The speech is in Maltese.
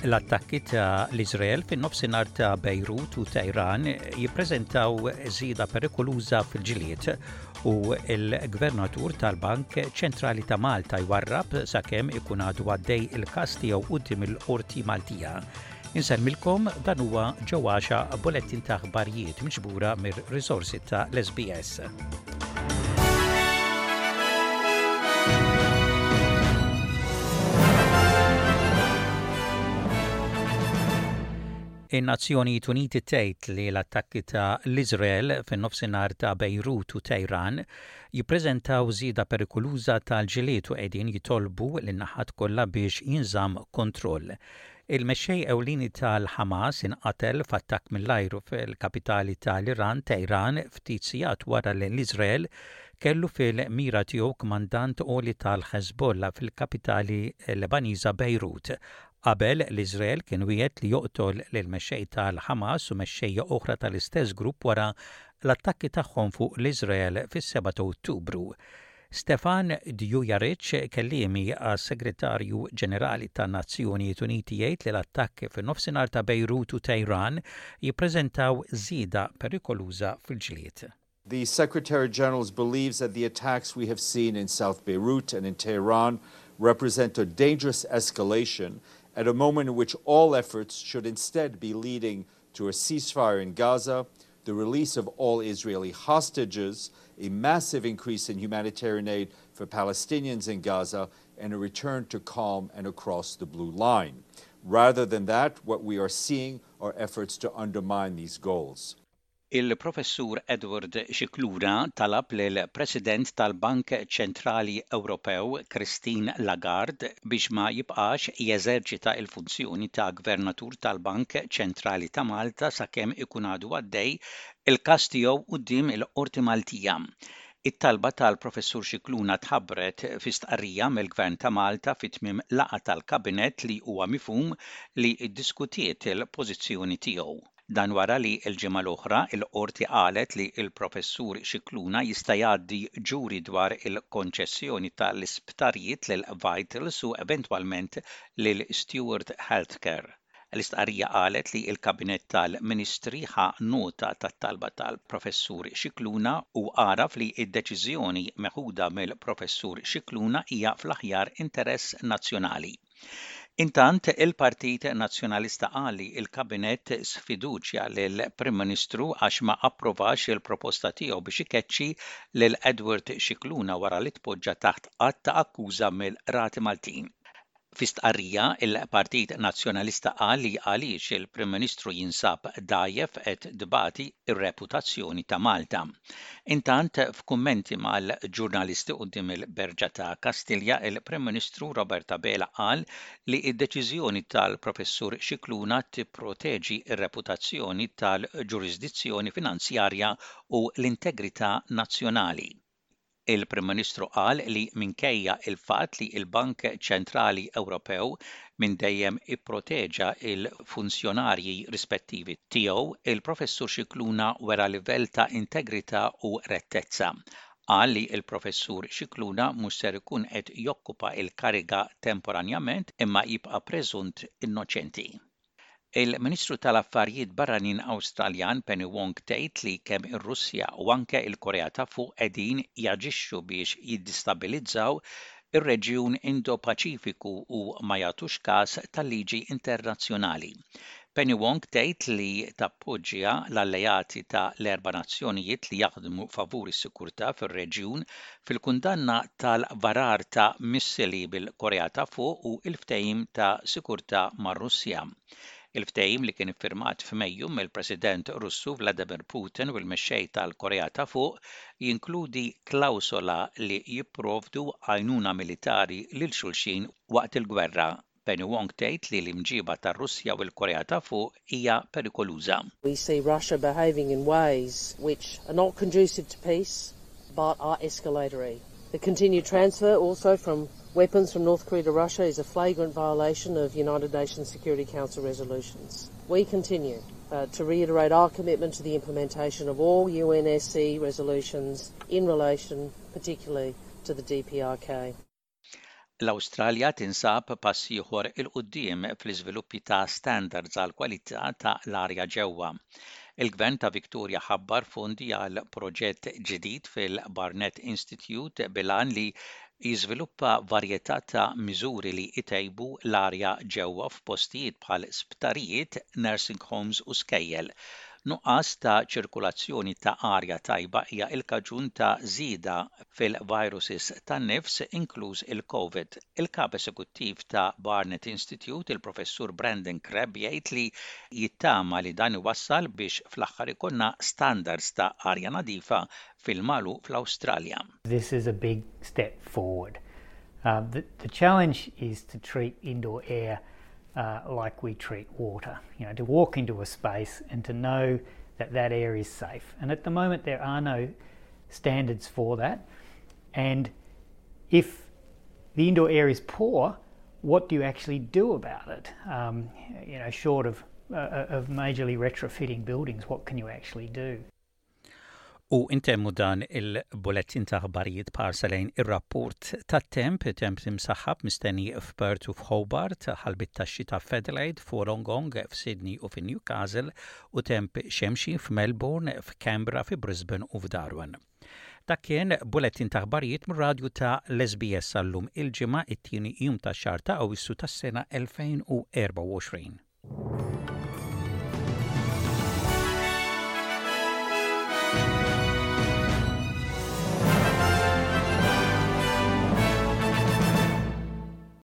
L-attakki ta' l-Iżrael fin-nofsinhar ta' Bejrut u Tehran jippreżentaw żieda perikoluża fil-ġlied u l-Gvernatur tal-Bank Ċentrali ta' Malta jwarrab sakemm ikun għadu għaddej il-każ tiegħu quddiem il-Qorti Maltija. Insellmilkom dan huwa ġewwaxa bulettin ta' aħbarijiet miġbura mir-riżorsi ta' l-SBS. In-Nazzjonijiet Uniti tgħid li l-attakki ta' l-Iżrael fin-nofsinhar ta' Bejrut u Tehran jippreżentaw żieda perikoluża tal-ġlied u qegħdin jitolbu lin-naħat kollha biex jinżamm kontroll. Il-mexxej ewlieni tal-Ħamas inqatel f'attakk mill-ajru fil-kapitali tal-Iran, Tehran, ftit sigħat wara li l-Iżrael kellu fil-mira tiegħu kmandant għoli tal-Ħeżbollah fil-kapitali Lebaniża Bejrut. Qabel, l-Iżrael kien wiegħed li joqtol lill-mexxej tal-Ħamas u mexxejja oħra tal-istess grupp wara l-attakki tagħhom fuq l-Iżrael fis-7 ta' Ottubru. Stefan Dujarric, kelliemi għas-Segretarju Ġenerali tan-Nazzjonijiet Uniti jgħid li l-attakki fin-nofsinhar ta' Bejrut u Tehran jippreżentaw żieda perikoluża fil-ġlied. The Secretary General believes that the attacks we have seen in South Beirut and in Tehran represent a dangerous escalation at a moment in which all efforts should instead be leading to a ceasefire in Gaza, the release of all Israeli hostages, a massive increase in humanitarian aid for Palestinians in Gaza, and a return to calm and across the blue line. Rather than that, what we are seeing are efforts to undermine these goals. Il-Professur Edward Scicluna talab lill-President tal-Bank Ċentrali Ewropew Christine Lagarde biex ma jibqax jeżerċita l-funzjoni ta' Gvernatur tal-Bank Ċentrali ta' Malta sakemm ikun għadu għaddej il-każ tiegħu quddiem il-Qorti Maltija. It-talba tal-Professur Scicluna tħabbret fi stqarrija mill-Gvern ta' Malta fi tmiem laqgħa tal-Kabinett li huwa mifhum li ddiskutiet il-pożizzjoni tiegħu. Dan wara li l-ġimgħa l-oħra l-Qorti qalet li l-Professur Scicluna jista' jgħaddi ġuri dwar il-konċessjoni tal-isptarijiet lil Vitals u eventwalment lil Steward Healthcare. L-istqarrija qalet li l-Kabinett tal-Ministri ħa nota tat-talba tal-Professur Scicluna u għaraf li d-deċiżjoni meħuda mill-Professur Scicluna hija fl-aħjar interess nazzjonali. Intant, il-Partit Nazzjonalista qal li l-Kabinett sfiduċja lill-Prim Ministru għax ma approvax il-proposta tiegħu biex ikeċċi lil Edward Scicluna wara li tpoġġa taħt att ta' akkuża mill-Qrati Maltin. Fi stqarrija, il-Partit Nazzjonalista qal li għaliex il-Prim Ministru jinsab dgħajjef qed tbati r-reputazzjoni ta' Malta. Intant, f'kummenti mal-ġurnalisti quddiem il-Berġa ta' Kastilja, il-Prim Ministru Robert Abela qal li d-deċiżjoni tal-Professur Scicluna tipproteġi r-reputazzjoni tal-ġurisdizzjoni finanzjarja u l-integrità nazzjonali. Il-Prim Ministru qal li minkejja l-fatt li l-Bank Ċentrali Ewropew minn dejjem ipproteġa l-funzjonarji rispettivi tiegħu, il-Professur Scicluna wera livell ta' integrità u rettezza. Qal li l-Professur Scicluna mhux ser ikun qed jokkupa l-kariga temporanjament imma jibqa' preżunt innoċenti. Il-Ministru tal-Affarijiet Barranin Awstraljan Penny Wong tgħid li kemm ir-Russja u anke l-Korea ta' Fuq qegħdin jaġixxu biex jiddistabilizzaw ir-reġjun Indo-Paċifiku u ma jagħtux kas tal-liġi internazzjonali. Penny Wong tgħid li tappoġġja l-alleati ta' l-erba' nazzjonijiet li jaħdmu favur is-sikurtà fir-reġjun fil-kundanna tal-varar ta' missili bil-Korea ta' Fuq u l-ftehim ta' sikurtà mar-Russja. Il-ftehim li kien iffirmat f'Mejju mill-President Russu Vladimir Putin u l-mexxej tal-Korea ta' Fuq jinkludi klawsola li jipprovdu għajnuna militari lil xulxin waqt il-gwerra. Penny Wong tgħid li l-imġiba tar-Russja u l-Korea ta' Fuq hija perikoluża. We see Russia behaving in ways which are not conducive to peace but are escalatory. The continued transfer also from weapons from North Korea to Russia is a flagrant violation of United Nations Security Council resolutions. We continue uh, to reiterate our commitment to the implementation of all UNSC resolutions in relation particularly to the DPRK. L-Awstralja tinsab pass ieħor 'il quddiem fl-iżviluppi ta' standards għall-kwalità ta' l-arja ġewwa. Il-Gvern ta' Victoria ħabbar fondi għal proġett ġdid fil-Barnett Institute bil-għan li jiżviluppa varjetà ta' miżuri li jtejbu l-arja ġewwa f'postijiet bħal sptarijiet, nursing homes u skejjel. Nuqqas ta' ċirkulazzjoni ta' arja tajba hija l-kaġun ta' żieda fil-viruses tan-nifs, inkluż il-Covid. Il-Kap Esekuttiv ta' Barnett Institute, il-Professur Brandon Crabb jgħid li jittama li dan iwassal biex fl-aħħar ikollna standards ta' arja nadifa fil-magħluq fl-Awstralja. This is a big step forward. Uh, the, the challenge is to treat indoor air uh, like we treat water. You know, to walk into a space and to know that that air is safe. And at the moment, there are no standards for that. And if the indoor air is poor, what do you actually do about it? Um, you know, short of, uh, uh of majorly retrofitting buildings, what can you actually do? U intemmu dan il-bulettin ta' aħbarijiet b'ħarsa lejn ir-rapport tat-temp, temp imsaħħab mistenni f'Perth u f'Hobart, ħalbiet tax-xita f'Adelaide, f'Wollongong, f'Sydney u fi Newcastle, u temp xemxi f'Melbourne, f'Canberra, fi Brisbane u f'Darwin. Dak kien bulettin ta' aħbarijiet mir-radju ta' l-SBS għal-lum il-Ġimgħa, it-tieni jum tax-xahar ta' Awwissu tas-sena 2024.